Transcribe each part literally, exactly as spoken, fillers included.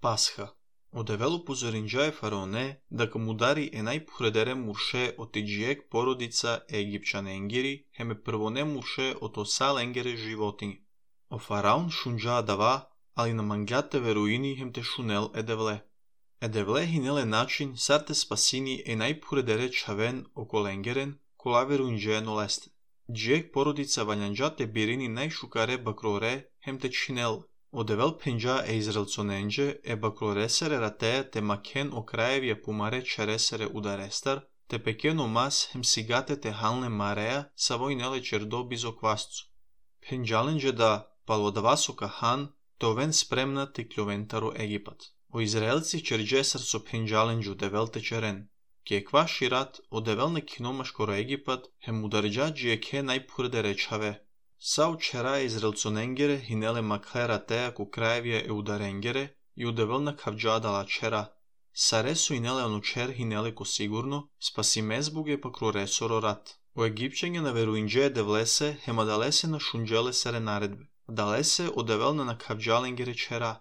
Пасха. Одевело позоринџае фараоне дека му дари енај поредере мурше од тиџиек породица египчаненгери, хеме првоне мурше од осаленгере животињи. О фараон шунџаа дава, али на мангјате веруини хем те шунел едевле. Едевле хинеле начин сарте спасини енај поредере чавен околенгерен, кола веруинџае нолесте. Џиек породица вањанџате бирини најшукаре бакроре хем те чинел. Одевел пенџа е израелцоненџе е бакроресере ратеја те макен о краевија помаре чересере ударестар, те пекено мас хем сигате те халне мареја са војнеле чердоби зо квасцу. Пенџаленџе да палодавасока хан, товен спремна те клјовентаро Египат. О израелци черџесар со пенџаленџу девел те черен. Ке кваши рат одевел не киномашкоро Египат хем ударџа џиеке најпурде речаве. Сао чера израелцоненгере хинеле макхера теја ко краевија е ударенгере и удевел на кавџа дала чера. Саресо инеле анучер хинеле ко сигурно, спаси мезбуге пакроресоро рат. О египчење на веруинџе девлесе хема далесе на шунџеле сере наредбе. Далесе одевел на кавџаленгере чера.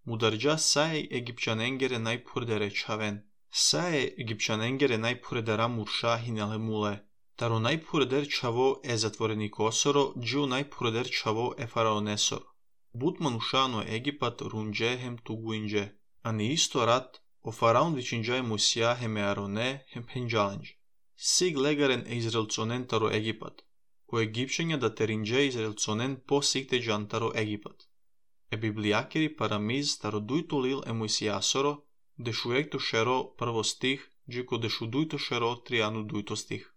Мударџа сај египчаненгере најпурде речавен. Сај египчаненгере најпуредера мурша хинеле муле. Таро најпуредер чаво е затвореник осоро, џио најпуредер чаво е фараонесоро. Бутман ушано Египат рундже хем тугуиндже. А не исто рат, о фараон вичинџај Мусија хем е Ароне хем пенџаленџ. Сиг легарен е израелцонен таро Египат. О египчења да териндже израелцонен по сигте джантаро Египат. Е библијакери парамиз таро дујто лил е Мусијасоро, дешуекто шеро прво стих, џико дешу дујто шеро тријану дујто стих.